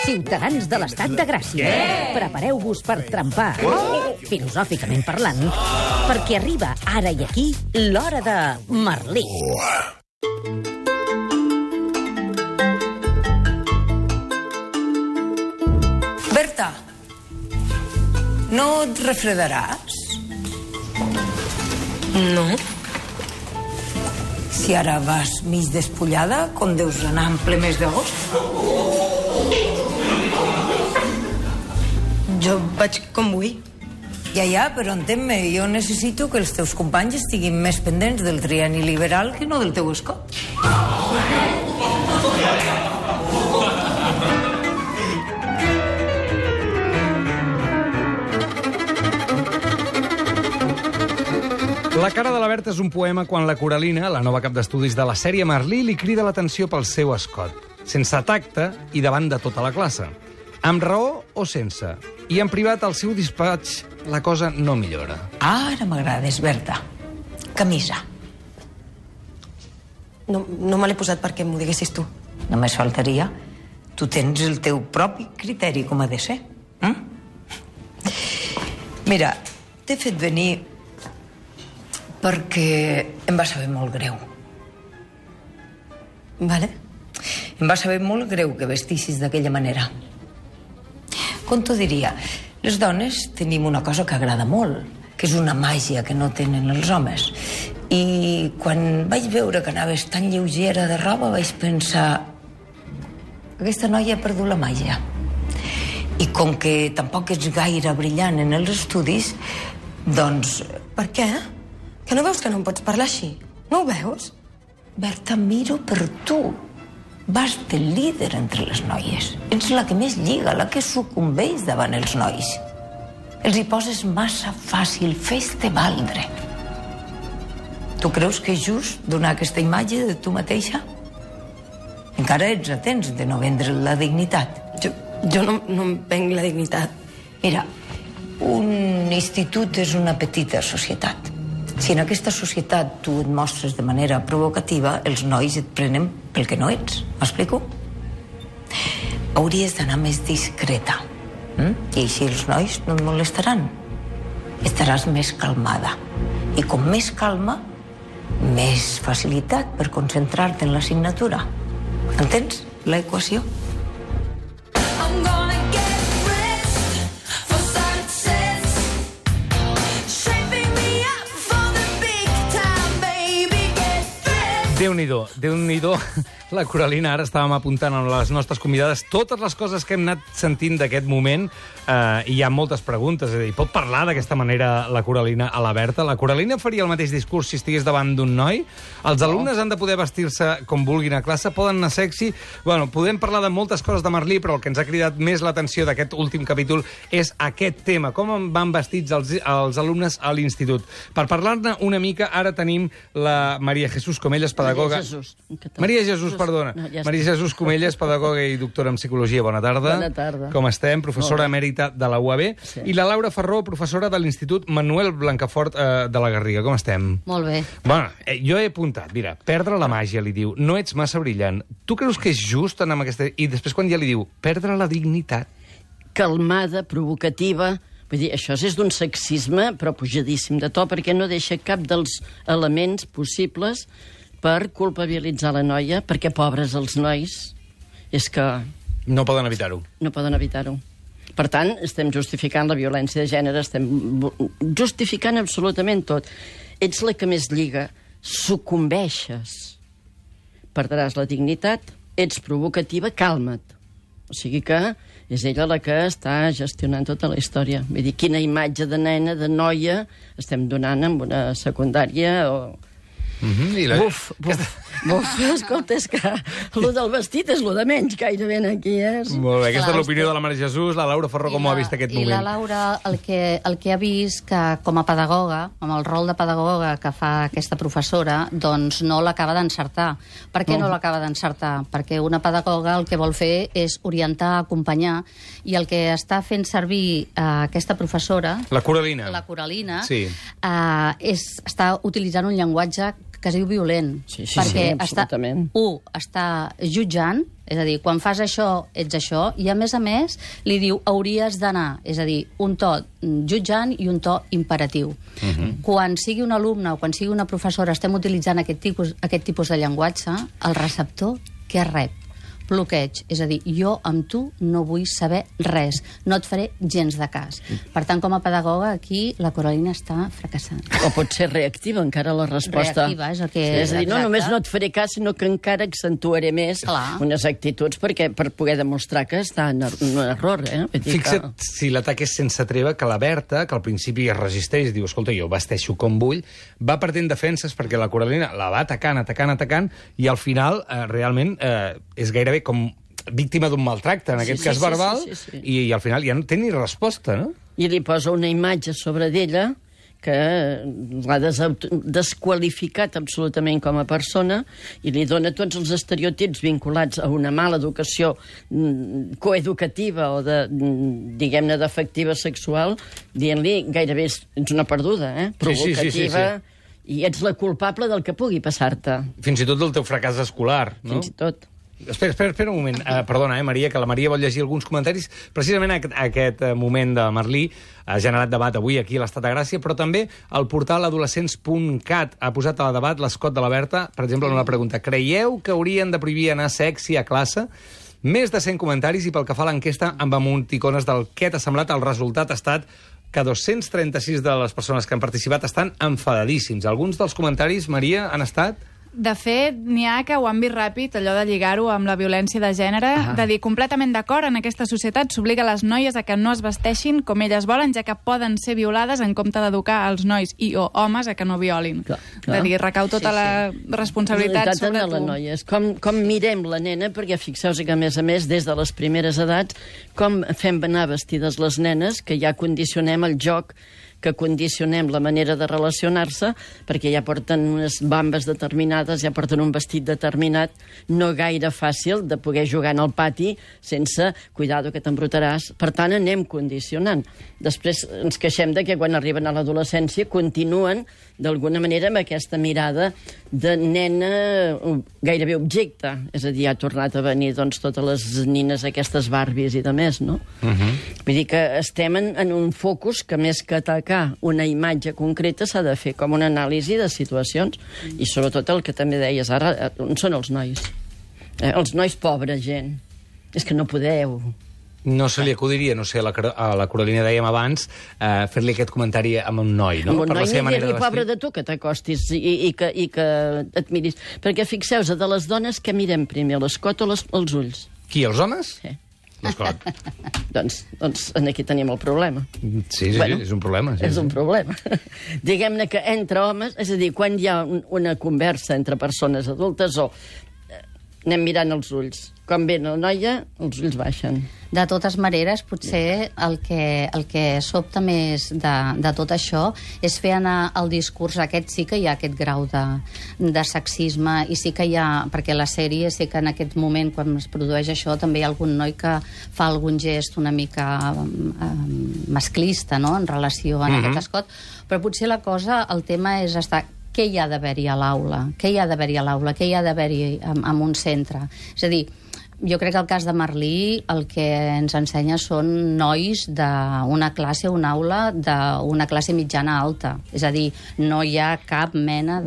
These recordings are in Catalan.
Ciutadans de l'Estat de Gràcia, prepareu-vos per trempar, filosòficament parlant, perquè arriba ara i aquí l'hora de Merlí. Berta, no et refredaràs? No. Si ara vas mig despullada, com deus anar en ple mes d'agost? Jo vaig com vull. Ja, però entén-me, jo necessito que els teus companys estiguin més pendents del trienni liberal que no del teu escot. La cara de la Berta és un poema quan la Coralina, la nova cap d'estudis de la sèrie Merlí, li crida l'atenció pel seu escot, sense tacte i davant de tota la classe. Amb raó o sense. I en privat, al seu despatx, la cosa no millora. Ara m'agrades, Berta. Camisa. No me l'he posat perquè m'ho diguessis tu. Només faltaria. Tu tens el teu propi criteri com ha de ser. Mira, t'he fet venir perquè em va saber molt greu. Vale? Em va saber molt greu que vestissis d'aquella manera. Com t'ho diria? Les dones tenim una cosa que agrada molt, que és una màgia que no tenen els homes. I quan vaig veure que anaves tan lleugera de roba vaig pensar: aquesta noia ha perdut la màgia. I com que tampoc ets gaire brillant en els estudis, doncs... Per què? Que no veus que no em pots parlar així? No ho veus? Berta, miro per tu. Vas de líder entre les noies. Ets la que més lliga, la que sucumbeix davant els nois. Els hi poses massa fàcil, fes-te valdre. Tu creus que és just donar aquesta imatge de tu mateixa? Encara ets a temps de no vendre la dignitat. Jo no em venc la dignitat. Mira, un institut és una petita societat. Si en aquesta societat tu et mostres de manera provocativa, els nois et prenen pel que no ets. M'explico? Hauries d'anar més discreta. I així els nois no et molestaran. Estaràs més calmada. I com més calma, més facilitat per concentrar-te en l'assignatura. Entens l'equació? Déu-n'hi-do. La Coralina, ara estàvem apuntant amb les nostres convidades totes les coses que hem anat sentint d'aquest moment, i hi ha moltes preguntes. És a dir, pot parlar d'aquesta manera la Coralina a la Berta? La Coralina faria el mateix discurs si estigués davant d'un noi? Els alumnes han de poder vestir-se com vulguin a classe? Poden anar sexy? Bueno, podem parlar de moltes coses de Merlí, però el que ens ha cridat més l'atenció d'aquest últim capítol és aquest tema. Com van vestits els alumnes a l'institut? Per parlar-ne una mica, ara tenim la Maria Jesús Comelles, pedagoga... Maria Jesús, perdona. No, ja Maria Jesús Comelles, pedagoga i doctora en psicologia. Bona tarda. Bona tarda. Com estem? Professora emèrita de la UAB. Sí. I la Laura Ferró, professora de l'Institut Manuel Blancafort de la Garriga. Com estem? Molt bé. Bueno, jo he apuntat, mira, perdre la màgia, li diu, no ets massa brillant. Tu creus que és just anar amb aquesta... I després quan ja li diu, perdre la dignitat. Calmada, provocativa... Vull dir, això és d'un sexisme, però pujadíssim de to, perquè no deixa cap dels elements possibles per culpabilitzar la noia, perquè pobres els nois, és que... No poden evitar-ho. No poden evitar-ho. Per tant, estem justificant la violència de gènere, estem justificant absolutament tot. Ets la que més lliga, sucumbeixes. Perdràs la dignitat, ets provocativa, calma't. O sigui que és ella la que està gestionant tota la història. Vull dir, quina imatge de nena, de noia, estem donant en una secundària o... Buf, escolta, és que el del vestit és el de menys gairebé aquí, Molt bé, aquesta és l'opinió de la Maria Jesús. La Laura Ferró, com ho ha vist aquest moment? I la Laura, el que ha vist que com a pedagoga, amb el rol de pedagoga que fa aquesta professora, doncs no l'acaba d'encertar. Per què no l'acaba d'encertar? Perquè una pedagoga el que vol fer és orientar, acompanyar, i el que està fent servir aquesta professora... La Coralina. La Coralina, sí. Està utilitzant un llenguatge que es diu violent. Sí, perquè absolutament. està jutjant És a dir, quan fas això, ets això, i a més, li diu hauries d'anar, és a dir, un to jutjant i un to imperatiu. Quan sigui un alumne o quan sigui una professora estem utilitzant aquest tipus de llenguatge, el receptor què rep? Bloqueig, és a dir, jo amb tu no vull saber res, no et faré gens de cas. Per tant, com a pedagoga, aquí la Coralina està fracassant. O pot ser reactiva encara la resposta. Reactiva, és el que... És a dir, no només no et faré cas, sinó que encara accentuaré més unes actituds per poder demostrar que està en un error. Fixa't si l'atac és sense treva, que la Berta, que al principi es resisteix, diu, escolta, jo vesteixo com vull, va perdent defenses perquè la Coralina la va atacant, i al final realment és gairebé com víctima d'un maltracte, en aquest cas verbal, i al final ja no té ni resposta, no? I li posa una imatge sobre d'ella que l'ha desqualificat absolutament com a persona i li dona tots els estereotips vinculats a una mala educació coeducativa o diguem-ne, d'afectiva sexual, dient-li gairebé ets una perduda, provocativa, i ets la culpable del que pugui passar-te. Fins i tot del teu fracàs escolar, no? Fins i tot. Espera un moment. Perdona, Maria, que la Maria vol llegir alguns comentaris. Precisament aquest moment de Merlí ha generat debat avui aquí a l'Estat de Gràcia, però també el portal adolescents.cat ha posat a debat l'escot de la Berta, per exemple, en una pregunta. Creieu que haurien de prohibir anar sexy a classe? Més de 100 comentaris, i pel que fa a l'enquesta amb emoticones del què t'ha semblat, el resultat ha estat que 236 de les persones que han participat estan enfadadíssims. Alguns dels comentaris, Maria, han estat... De fet, n'hi ha que ho han vist ràpid, allò de lligar-ho amb la violència de gènere, de dir completament d'acord, en aquesta societat s'obliga les noies a que no es vesteixin com elles volen, ja que poden ser violades en compte d'educar els nois i o homes a que no violin. De dir, recau tota la responsabilitat sobre tu. Noies. Com mirem la nena, perquè fixeu-vos que, a més, des de les primeres edats, com fem anar vestides les nenes, que ja condicionem el joc, que condicionem la manera de relacionar-se, perquè ja porten unes bambes determinades, ja porten un vestit determinat, no gaire fàcil de poder jugar en el pati sense cuidado que t'embrutaràs. Per tant, anem condicionant. Després ens queixem de que quan arriben a l'adolescència continuen d'alguna manera amb aquesta mirada de nena gairebé objecte. És a dir, ha tornat a venir doncs, totes les nines, aquestes Barbies i de més, no? Vull dir que estem en un focus que més que atacar una imatge concreta s'ha de fer com una anàlisi de situacions i sobretot el que també deies ara, on són els nois? Els nois, pobra gent. És que no podeu... No se li acudiria, no sé, a la Coralina dèiem abans, fer-li aquest comentari amb un noi, no? Amb un noi, ni dir-li pobre de tu que t'acostis i que et miris. Perquè fixeu-vos, de les dones que mirem primer, l'escot o els ulls? Qui, els homes? Sí. L'escot. Doncs aquí tenim el problema. Sí, és un problema. És un problema. Diguem-ne que entre homes, és a dir, quan hi ha una conversa entre persones adultes o anem mirant els ulls. Quan ve la noia, els ulls baixen. De totes maneres, potser el que sobta més de tot això és fer anar el discurs. Aquest sí que hi ha aquest grau de sexisme i sí que hi ha... Perquè la sèrie sí que en aquest moment, quan es produeix això, també hi ha algun noi que fa algun gest una mica masclista, no?, en relació a aquest escot. Però potser la cosa, el tema és estar... Què hi ha d'haver-hi a l'aula? Què hi ha d'haver-hi a l'aula? Què hi ha d'haver-hi en un centre? És a dir, jo crec que el cas de Merlí el que ens ensenya són nois d'una classe, una aula d'una classe mitjana alta. És a dir, no hi ha cap mena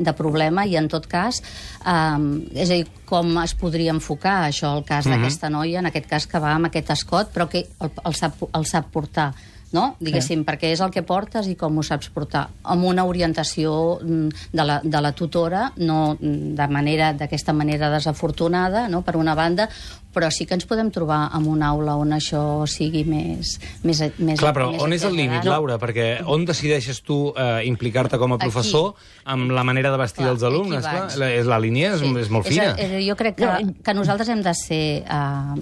de problema i, en tot cas, és a dir, com es podria enfocar això, el cas d'aquesta noia, en aquest cas que va amb aquest escot, però que el sap portar, no? Diguéssim, perquè és el que portes i com ho saps portar, amb una orientació de la tutora, no d'aquesta manera desafortunada, no?, per una banda, però sí que ens podem trobar en una aula on això sigui més Clar, però on és el límit, Laura? Perquè on decideixes tu implicar-te com a professor amb la manera de vestir dels alumnes? La línia és molt fina. Jo crec que nosaltres hem de ser...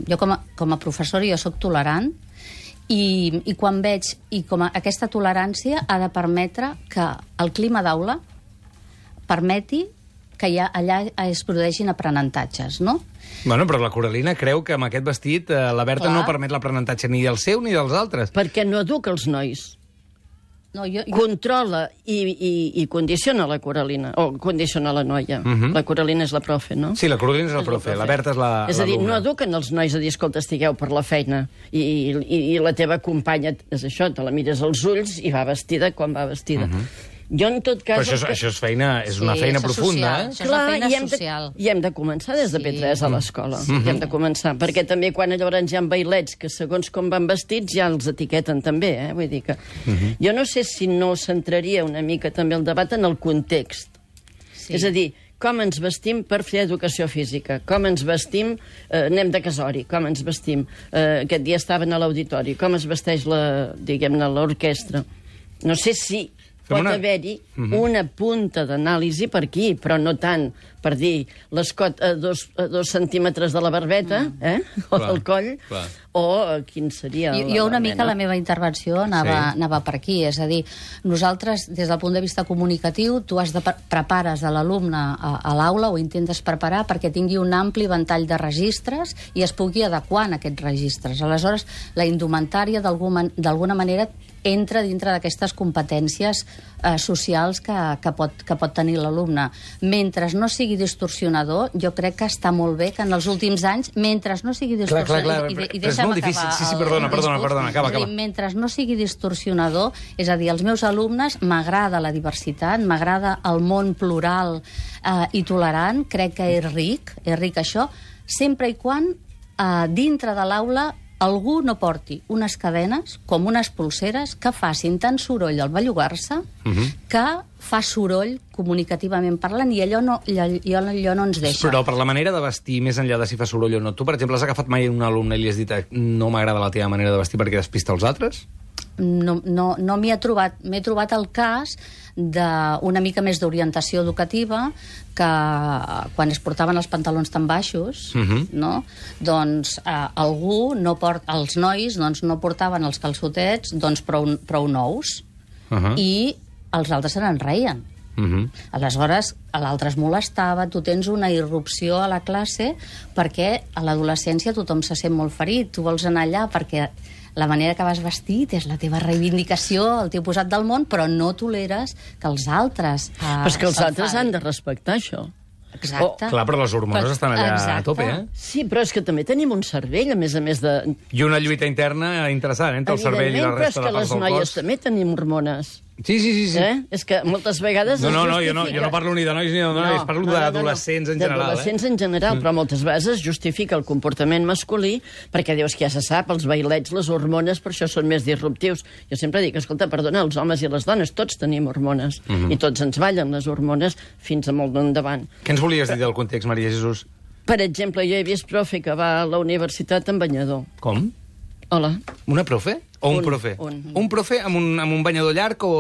Jo com a professora jo soc tolerant, i quan veig, i com aquesta tolerància ha de permetre que el clima d'aula permeti que allà es produeixin aprenentatges, no? Bueno, però la Coralina creu que amb aquest vestit la Berta no permet l'aprenentatge ni del seu ni dels altres. Perquè no educa els nois. controla i condiciona la Coralina, o condiciona la noia. La Coralina és la profe, no? Sí, la Coralina és la profe, la Berta és l'alumna. És a dir, no eduquen els nois a dir, escolta, estigueu per la feina, i la teva companya, és això, te la mires als ulls i va vestida com va vestida. Jo, en tot cas... Però això és feina, és una feina profunda, eh? Això és la feina social. I hem de començar des de P3 a l'escola. I hem de començar, perquè també quan llavors hi ha bailets que segons com van vestits ja els etiqueten també, Vull dir que... Jo no sé si no centraria una mica també el debat en el context. És a dir, com ens vestim per fer educació física, com ens vestim, anem de casori, com ens vestim, aquest dia estaven a l'auditori, com es vesteix l'orquestra. No sé si pot haver-hi una punta d'anàlisi per aquí, però no tant per dir l'escot a 2 centímetres de la barbeta, o del coll, o quin seria... Jo una mica la meva intervenció anava per aquí, és a dir, nosaltres, des del punt de vista comunicatiu, tu prepares a l'alumne a l'aula, o intentes preparar perquè tingui un ampli ventall de registres i es pugui adequar en aquests registres. Aleshores, la indumentària, d'alguna manera, entra dintre d'aquestes competències socials que pot tenir l'alumne. Mentre no sigui distorsionador, jo crec que està molt bé que en els últims anys, mentre no sigui distorsionador... És molt difícil. Sí, perdona, acaba. Mentre no sigui distorsionador, és a dir, als meus alumnes m'agrada la diversitat, m'agrada el món plural i tolerant, crec que és ric això, sempre i quan dintre de l'aula algú no porti unes cadenes com unes pulseres que facin tant soroll al bellugar-se que fa soroll comunicativament parlant, i allò no ens deixa. Però per la manera de vestir, més enllà de si fa soroll o no, tu, per exemple, has agafat mai un alumne i li has dit no m'agrada la teva manera de vestir perquè despista els altres? No m'hi he trobat. M'he trobat el cas d'una mica més d'orientació educativa, que quan es portaven els pantalons tan baixos, doncs els nois no portaven els calçotets prou nous, i els altres se n'en reien. Aleshores, a l'altre es molestava, tu tens una irrupció a la classe perquè a l'adolescència tothom se sent molt ferit, tu vols anar allà perquè la manera que vas vestit és la teva reivindicació, el teu posat del món, però no toleres que els altres... Però és que els altres han de respectar això. Exacte. Clar, però les hormones estan allà a tope, Sí, però és que també tenim un cervell, a més de... I una lluita interna interessant entre el cervell i la resta de parts del cos. Evidentment, però és que les noies també tenim hormones. Sí. És que moltes vegades jo no parlo ni de nois ni de noies, parlo d'adolescents en general. D'adolescents en general, però moltes vegades es justifica el comportament masculí perquè dius que ja se sap, els bailets, les hormones, per això són més disruptius. Jo sempre dic, escolta, perdona, els homes i les dones, tots tenim hormones, i tots ens ballen les hormones fins a molt endavant. Què ens volies dir del context, Maria Jesús? Per exemple, jo he vist profe que va a la universitat en banyador. Com? Hola. Una profe? O un profe? Un profe amb un banyador llarg o...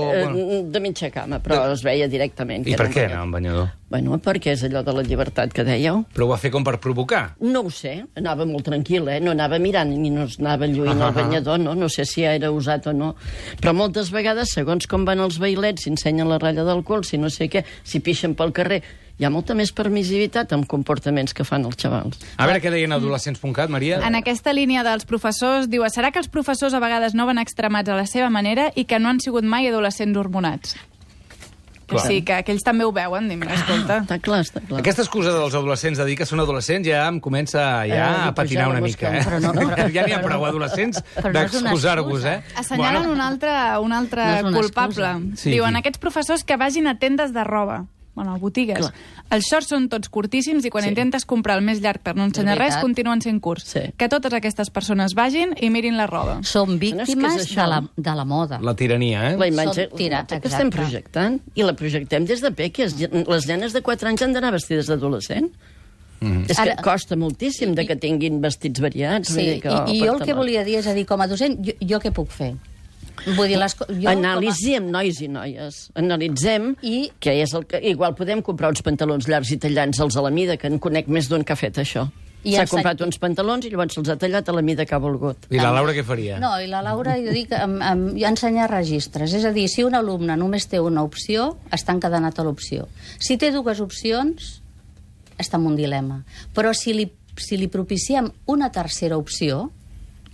De mitja cama, però es veia directament. I per què anava amb banyador? Bueno, perquè és allò de la llibertat que dèieu. Però ho va fer com per provocar? No ho sé, anava molt tranquil, no anava mirant ni no anava lluint el banyador, no sé si era usat o no. Però moltes vegades, segons com van els bailets, s'ensenyen la ratlla del cul, si no sé què, si pixen pel carrer... Hi ha molta més permissivitat amb comportaments que fan els xavals. A veure què deien adolescents.cat, Maria. En aquesta línia dels professors, diu, serà que els professors a vegades no van extremats a la seva manera i que no han sigut mai adolescents hormonats? Que sí, que ells també ho veuen, escolta. Està clar. Aquesta excusa dels adolescents de dir que són adolescents ja em comença a patinar una mica. Ja n'hi ha prou adolescents d'excusar-vos, Assenyalen un altre culpable. Diuen, aquests professors que vagin a tendes de roba. Bueno, botigues. Clar. Els shorts són tots curtíssims i quan intentes comprar el més llarg per no ensenyar res, continuen sent curts. Que totes aquestes persones vagin i mirin la roba. Són víctimes de la moda. La tirania, La imatge que estem projectant. I la projectem des de peques. Les nenes de 4 anys han d'anar vestides d'adolescent. És que costa moltíssim que tinguin vestits variats. I jo el que volia dir és, com a docent, jo què puc fer? Vull dir, anàlisi amb nois i noies. Analitzem què és el que... Igual podem comprar uns pantalons llargs i tallants als a la mida, que en conec més d'un que ha fet això. S'ha comprat uns pantalons i llavors se'ls ha tallat a la mida que ha volgut. I la Laura què faria? No, i la Laura, jo dic, ensenyar registres. És a dir, si un alumne només té una opció, està encadenat a l'opció. Si té 2 opcions, està en un dilema. Però si li propiciem una tercera opció,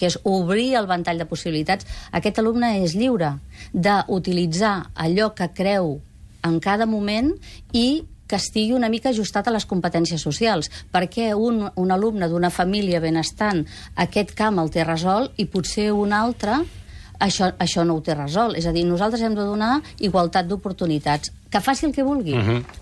que és obrir el ventall de possibilitats, aquest alumne és lliure d'utilitzar allò que creu en cada moment i que estigui una mica ajustat a les competències socials, perquè un alumne d'una família benestant aquest camp el té resolt i potser un altre això no ho té resolt. És a dir, nosaltres hem de donar igualtat d'oportunitats, que faci el que vulgui.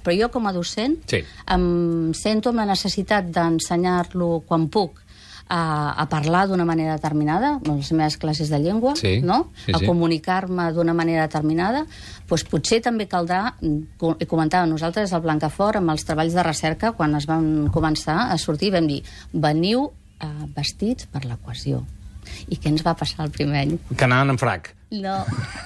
Però jo, com a docent, em sento amb la necessitat d'ensenyar-lo quan puc a parlar d'una manera determinada, en les meves classes de llengua, a comunicar-me d'una manera determinada, doncs potser també caldrà, i comentàvem nosaltres al Blancafort, amb els treballs de recerca, quan es van començar a sortir, vam dir, veniu vestits per la cohesió. I què ens va passar el primer any? Que anaven en frac. No,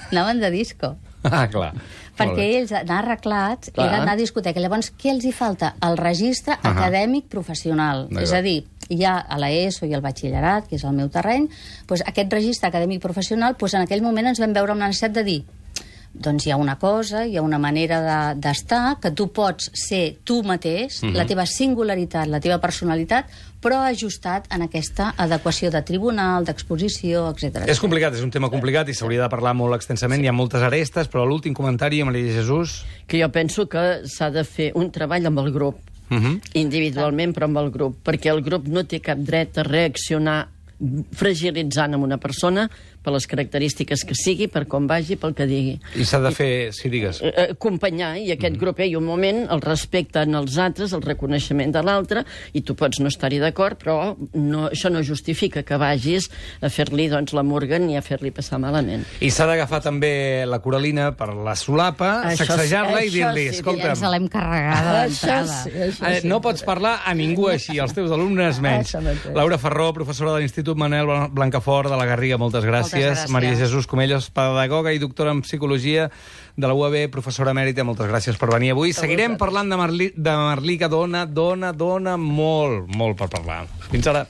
anaven de disco. Ah, clar. Perquè ells anar arreglats era anar a discoteca. Llavors, què els hi falta? El registre acadèmic professional. És a dir, ja a l'ESO i al batxillerat, que és el meu terreny, doncs aquest registre acadèmic professional, doncs en aquell moment ens vam veure amb la necessitat de dir doncs hi ha una cosa, hi ha una manera d'estar, que tu pots ser tu mateix, la teva singularitat, la teva personalitat, però ajustat en aquesta adequació de tribunal, d'exposició, etc. És complicat, és un tema complicat i s'hauria de parlar molt extensament, hi ha moltes arestes, però l'últim comentari, Maria Jesús... Que jo penso que s'ha de fer un treball amb el grup, individualment, però amb el grup, perquè el grup no té cap dret a reaccionar fragilitzant amb una persona per les característiques que sigui, per com vagi, pel que digui. I s'ha de fer, si digues... Acompanyar, i aquest grup hi ha un moment, el respecte en els altres, el reconeixement de l'altre, i tu pots no estar-hi d'acord, però això no justifica que vagis a fer-li la murga ni a fer-li passar malament. I s'ha d'agafar també la Coralina per la solapa, sacsejar-la i dir-li, escolta'm... Ja ens l'hem carregada d'entrada. No pots parlar a ningú així, als teus alumnes menys. Laura Farró, professora de l'Institut Manel Blancafort de la Garriga, moltes gràcies. Maria Jesús Comellos, pedagoga i doctora en Psicologia de la UAB, professora emèrita, moltes gràcies per venir avui. Seguirem parlant de Merlí, que dona molt per parlar. Fins ara.